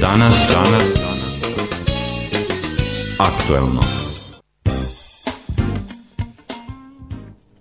Danas aktuelno.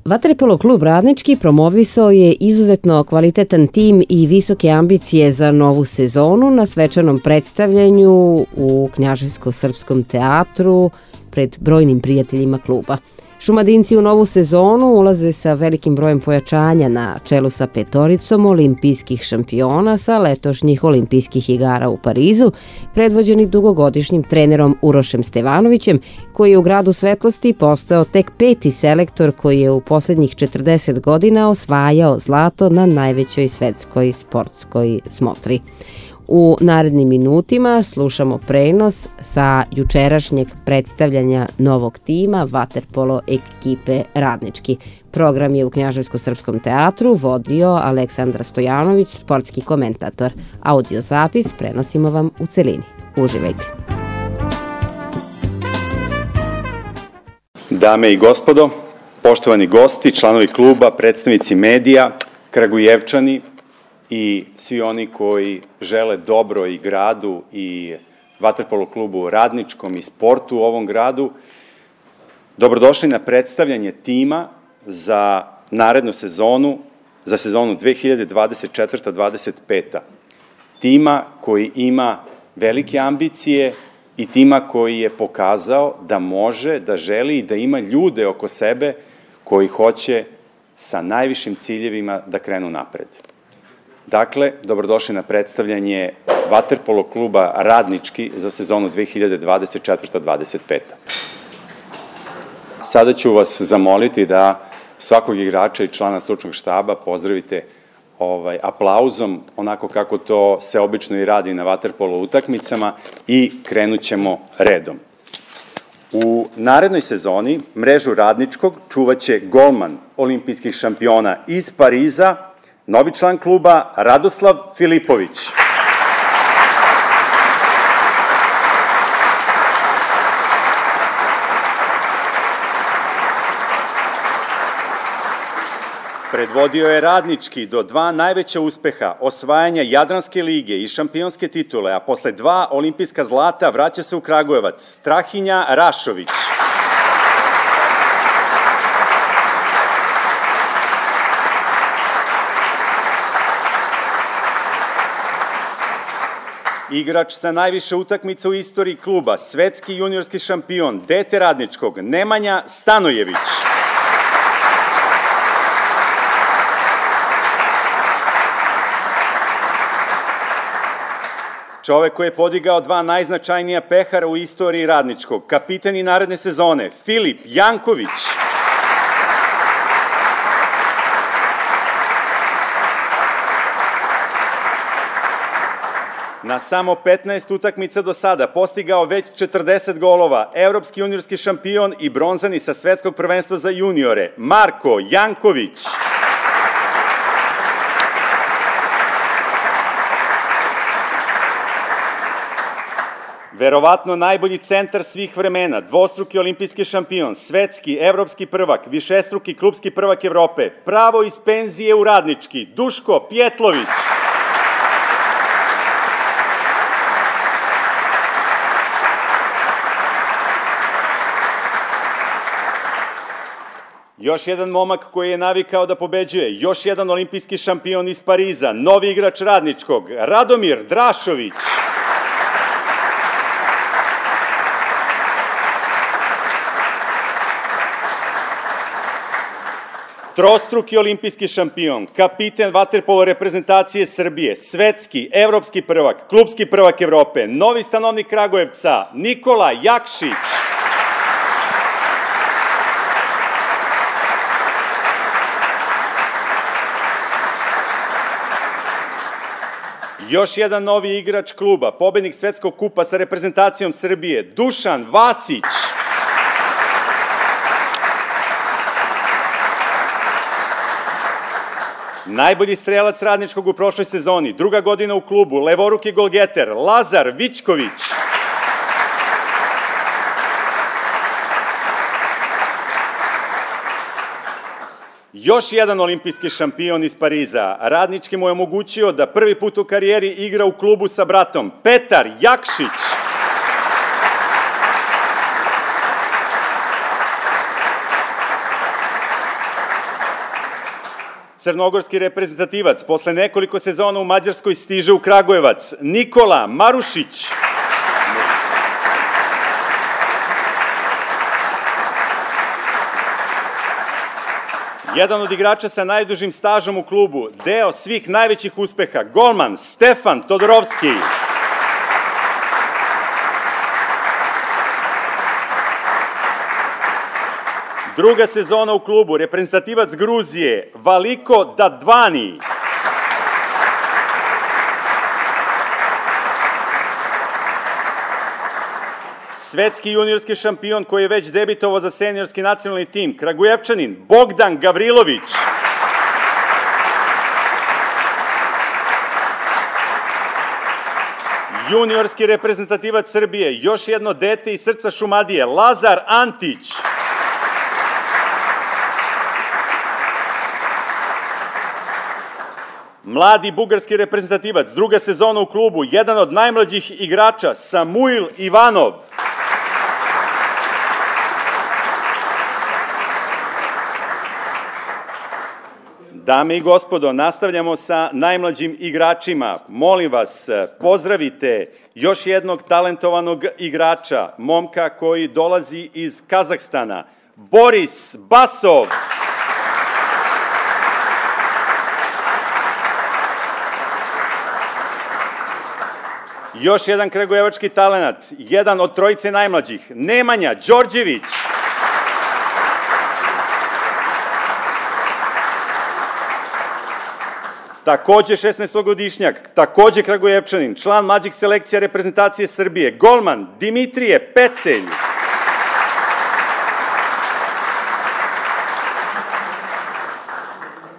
Vaterpolo klub Radnički promovisao je izuzetno kvalitetan tim i visoke ambicije za novu sezonu na svečanom predstavljanju u Knjaževsko-srpskom teatru pred brojnim prijateljima kluba. Šumadinci u novu sezonu ulaze sa velikim brojem pojačanja na čelu sa petoricom olimpijskih šampiona sa letošnjih olimpijskih igara u Parizu, predvođeni dugogodišnjim trenerom Urošem Stevanovićem, koji je u gradu svetlosti postao tek 5. selektor koji je u poslednjih 40 godina osvajao zlato na najvećoj svetskoj sportskoj smotri. U narednim minutima slušamo prenos sa jučerašnjeg predstavljanja novog tima Vaterpolo ekipe Radnički. Program je u Knjaževsko-srpskom teatru vodio Aleksandar Stojanović, sportski komentator. Audio zapis prenosimo vam u celini. Uživajte. Dame i gospodo, poštovani gosti, članovi kluba, predstavnici medija, Kragujevčani i svi oni koji žele dobro i gradu i Vaterpolo klubu Radničkom i sportu u ovom gradu, dobrodošli na predstavljanje tima za narednu sezonu, za sezonu 2024-2025. Tima koji ima velike ambicije i tima koji je pokazao da može, da želi i da ima ljude oko sebe koji hoće sa najvišim ciljevima da krenu napred. Dakle, dobrodošli na predstavljanje Vaterpolo kluba Radnički za sezonu 2024-2025. Sada ću vas zamoliti da svakog igrača i člana stručnog štaba pozdravite aplauzom, onako kako to se obično i radi na vaterpolo utakmicama, i krenut ćemo redom. U narednoj sezoni mrežu Radničkog čuvaće golman olimpijskih šampiona iz Pariza, novi član kluba Radoslav Filipović. Predvodio je Radnički do 2 najveća uspeha, osvajanja Jadranske lige i šampionske titule, a posle 2 olimpijska zlata vraća se u Kragujevac, Strahinja Rašović. Igrač sa najviše utakmica u istoriji kluba, svetski juniorski šampion, dete Radničkog, Nemanja Stanojević. Čovek koji je podigao 2 najznačajnija pehara u istoriji Radničkog, kapiten i naredne sezone, Filip Janković. Na samo 15 utakmica do sada postigao već 40 golova, evropski juniorski šampion i bronzani sa svetskog prvenstva za juniore, Marko Janković. Verovatno najbolji centar svih vremena, dvostruki olimpijski šampion, svetski, evropski prvak, višestruki klubski prvak Evrope, pravo iz penzije u Radnički, Duško Pjetlović. Još jedan momak koji je navikao da pobeđuje, još jedan olimpijski šampion iz Pariza, novi igrač Radničkog, Radomir Drašović. Trostruki olimpijski šampion, kapiten vaterpolo reprezentacije Srbije, svetski, evropski prvak, klubski prvak Evrope, novi stanovnik Kragujevca, Nikola Jakšić. Još jedan novi igrač kluba, pobednik svetskog kupa sa reprezentacijom Srbije, Dušan Vasić. Najbolji strelac Radničkog u prošloj sezoni, 2. godina u klubu, levoruki golgeter, Lazar Vičković. još jedan olimpijski šampion iz Pariza. Radnički mu je omogućio da prvi put u karijeri igra u klubu sa bratom. Petar Jakšić. Crnogorski reprezentativac posle nekoliko sezona u Mađarskoj stiže u Kragujevac. Nikola Marušić. Jedan od igrača sa najdužim stažom u klubu, deo svih najvećih uspeha, golman Stefan Todorovski. Druga sezona u klubu, reprezentativac Gruzije, Valiko Dadvani. Svetski juniorski šampion koji je već debitovao za seniorski nacionalni tim, Kragujevčanin Bogdan Gavrilović. Juniorski reprezentativac Srbije, još jedno dete iz srca Šumadije, Lazar Antić. Mladi bugarski reprezentativac, druga sezona u klubu, jedan od najmlađih igrača, Samuil Ivanov. Dame i gospodo, nastavljamo sa najmlađim igračima. Molim vas, pozdravite još jednog talentovanog igrača, momka koji dolazi iz Kazahstana, Boris Basov. Još jedan kragujevački talenat, jedan od trojice najmlađih, Nemanja Đorđević. Takođe 16-godišnjak, takođe Kragujevčanin, član mlađih selekcija reprezentacije Srbije, golman Dimitrije Pecelj.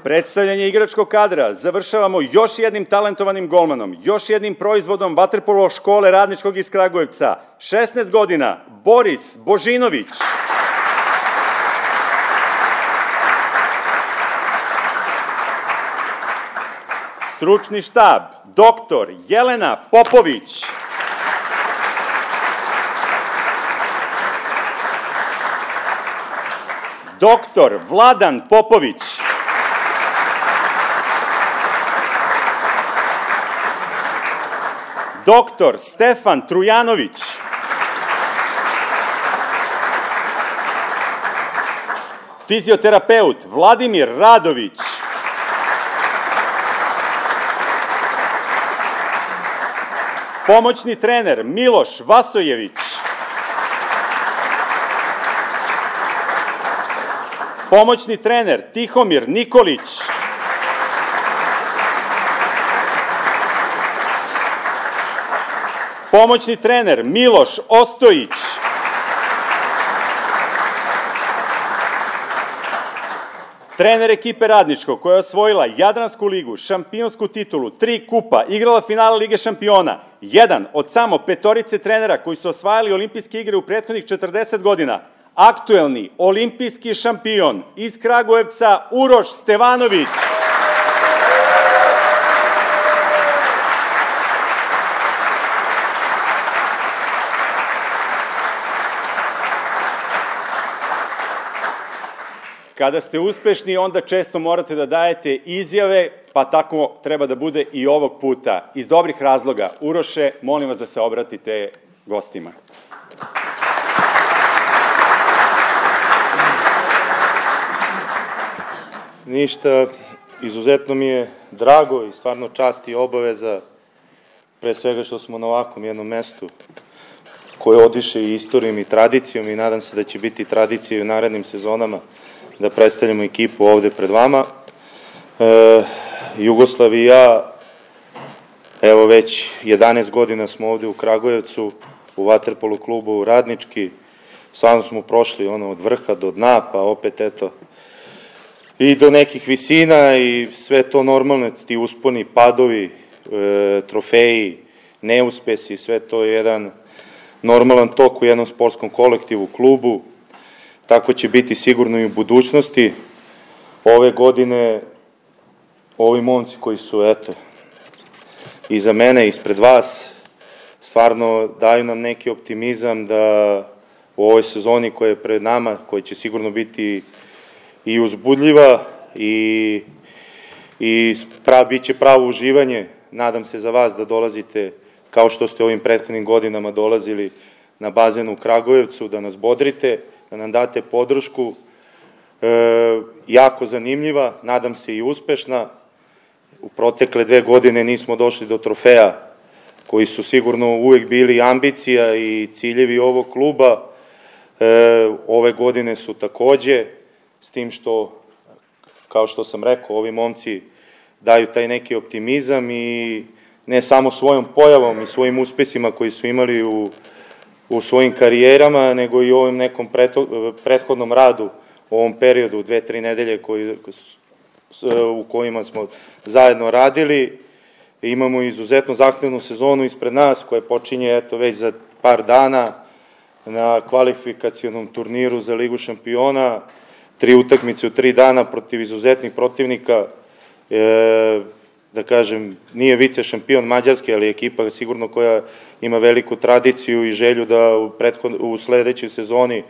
Predstavljanje igračkog kadra završavamo još jednim talentovanim golmanom, još jednim proizvodom vaterpolo škole Radničkog iz Kragujevca, 16 godina, Boris Božinović. Stručni štab, doktor Jelena Popović. Doktor Vladan Popović. Doktor Stefan Trujanović. Fizioterapeut Vladimir Radović. Pomoćni trener Miloš Vasojević. Pomoćni trener Tihomir Nikolić. Pomoćni trener Miloš Ostojić. Trener ekipe Radničkog koja je osvojila Jadransku ligu, šampionsku titulu, 3 kupa, igrala finale Lige šampiona, jedan od samo 5 trenera koji su osvajali olimpijske igre u prethodnih 40 godina, aktuelni olimpijski šampion iz Kragujevca Uroš Stevanović. Kada ste uspešni, onda često morate da dajete izjave, pa tako treba da bude i ovog puta. Iz dobrih razloga. Uroše, molim vas da se obratite gostima. Ništa, izuzetno mi je drago i stvarno čast i obaveza, pre svega što smo na ovakvom jednom mestu koje odiše i istorijom i tradicijom i nadam se da će biti tradicija i u narednim sezonama da predstavljamo ekipu ovde pred vama. Jugoslav i ja, evo već 11 godina smo ovde u Kragujevcu, u vaterpolo klubu Radnički, stvarno smo prošli od vrha do dna, pa opet eto, i do nekih visina i sve to normalno, ti usponi, padovi, trofeji, neuspesi, sve to je jedan normalan tok u jednom sportskom kolektivu, klubu. Tako će biti sigurno i u budućnosti. ove godine ovi momci koji su, eto, iza mene, ispred vas, stvarno daju nam neki optimizam da u ovoj sezoni koja je pred nama, koja će sigurno biti i uzbudljiva i bit će pravo uživanje. Nadam se za vas da dolazite, kao što ste ovim prethodnim godinama dolazili na bazen u Kragujevcu, da nas bodrite, da nam date podršku. Jako zanimljiva, nadam se i uspešna. U protekle 2 godine nismo došli do trofeja koji su sigurno uvek bili ambicija i ciljevi ovog kluba. Ove godine su takođe, s tim što, kao što sam rekao, ovi momci daju taj neki optimizam i ne samo svojom pojavom i svojim uspesima koji su imali u svojim karijerama, nego i u ovom nekom prethodnom radu, u ovom periodu 2-3 nedelje u kojima smo zajedno radili. Imamo izuzetno zahtevnu sezonu ispred nas koja počinje eto već za par dana na kvalifikacionom turniru za Ligu šampiona, 3 utakmice u 3 dana protiv izuzetnih protivnika. Da kažem, nije vice šampion Mađarske, ali ekipa sigurno koja ima veliku tradiciju i želju da u sledećoj sezoni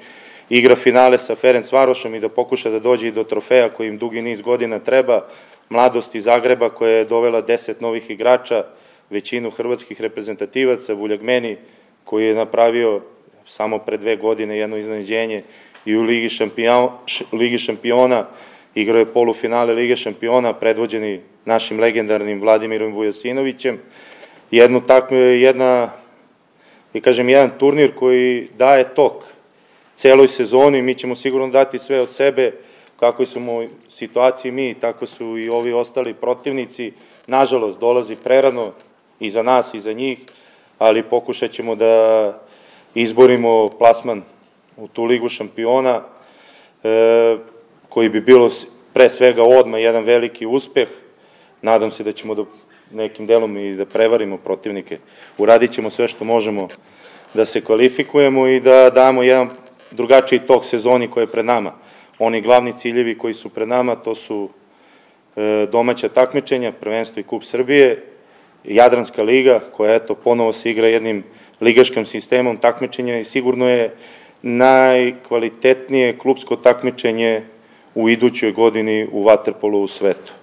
igra finale sa Ferencvarošom i da pokuša da dođe i do trofeja koji im dugi niz godina treba. Mladost iz Zagreba koja je dovela 10 novih igrača, većinu hrvatskih reprezentativaca, Vuljagmeni koji je napravio samo pre 2 godine jedno iznenađenje i u Ligi šampiona, igrao je polufinale Lige šampiona, predvođeni našim legendarnim Vladimirom Vujasinovićem. Jedan turnir koji daje tok celoj sezoni, mi ćemo sigurno dati sve od sebe, kako smo u situaciji mi, tako su i ovi ostali protivnici. Nažalost, dolazi prerano i za nas i za njih, ali pokušat ćemo da izborimo plasman u tu Ligu šampiona, koji bi bilo pre svega odmah jedan veliki uspeh. Nadam se da ćemo nekim delom i da prevarimo protivnike. Uradit ćemo sve što možemo da se kvalifikujemo i da damo jedan drugačiji tok sezoni koja je pred nama. Oni glavni ciljevi koji su pred nama, to su domaća takmičenja, prvenstvo i Kup Srbije, Jadranska liga, koja eto ponovo se igra jednim ligaškim sistemom takmičenja i sigurno je najkvalitetnije klupsko takmičenje u idućoj godini u vaterpolu u svetu.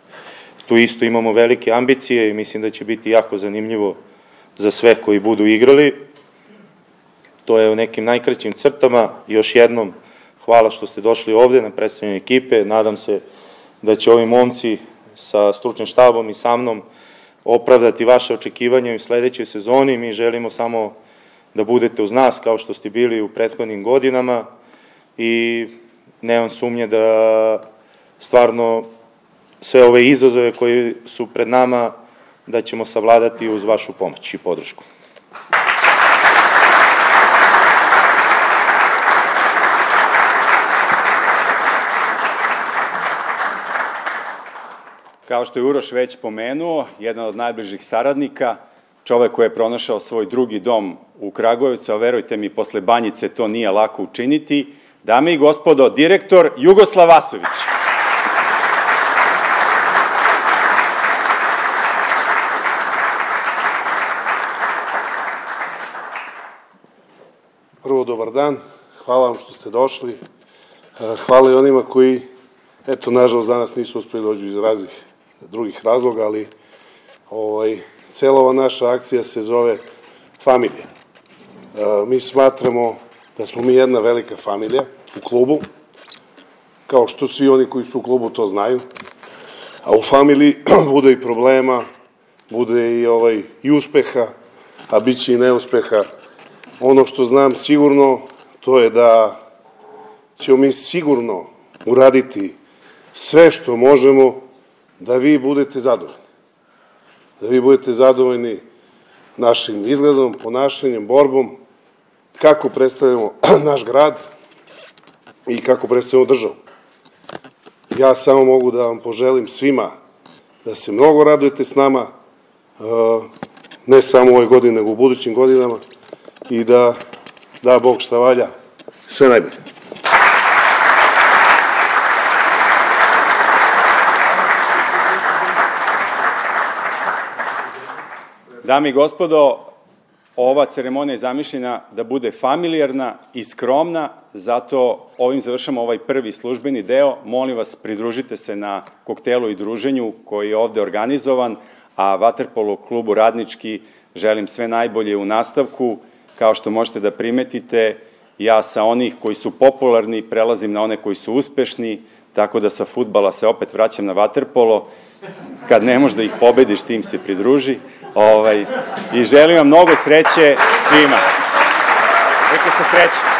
Tu isto imamo velike ambicije i mislim da će biti jako zanimljivo za sve koji budu igrali. To je u nekim najkraćim crtama. Još jednom hvala što ste došli ovde na predstavljanje ekipe. Nadam se da će ovi momci sa stručnim štabom i sa mnom opravdati vaše očekivanje u sledećoj sezoni. Mi želimo samo da budete uz nas kao što ste bili u prethodnim godinama i nemam sumnje da stvarno sve ove izazove koji su pred nama da ćemo savladati uz vašu pomoć i podršku. Kao što je Uroš već pomenuo, jedan od najbližih saradnika, čovek koji je pronašao svoj drugi dom u Kragujevcu, a verujte mi, posle Banjice to nije lako učiniti. Dame i gospodo, direktor Jugoslav Vasović. Prvo, dobar dan. Hvala vam što ste došli. Hvala i onima koji, eto, nažalost, danas nisu uspeli dođu iz raznih drugih razloga, ali cela ova naša akcija se zove familija. Mi smatramo da smo mi jedna velika familija u klubu, kao što svi oni koji su u klubu to znaju, a u familiji bude i problema, bude i uspeha, a bit će i neuspeha. Ono što znam sigurno, to je da ćemo mi sigurno uraditi sve što možemo da vi budete zadovoljni. Da vi budete zadovoljni našim izgledom, ponašanjem, borbom, kako predstavljamo naš grad i kako predstavljamo državu. Ja samo mogu da vam poželim svima da se mnogo radujete s nama, ne samo u ovoj godini, nego u budućim godinama i da Bog šta valja, sve najbolje. Dame i gospodo, ova ceremonija je zamišljena da bude familijarna i skromna, zato ovim završamo ovaj prvi službeni deo. Molim vas, pridružite se na koktelu i druženju koji je ovde organizovan, a Vaterpolo klubu Radnički želim sve najbolje u nastavku. Kao što možete da primetite, ja sa onih koji su popularni prelazim na one koji su uspešni, tako da sa fudbala se opet vraćam na vaterpolo. Kad ne možeš da ih pobediš, tim se pridruži. I želim vam mnogo sreće svima. Neka se sreće.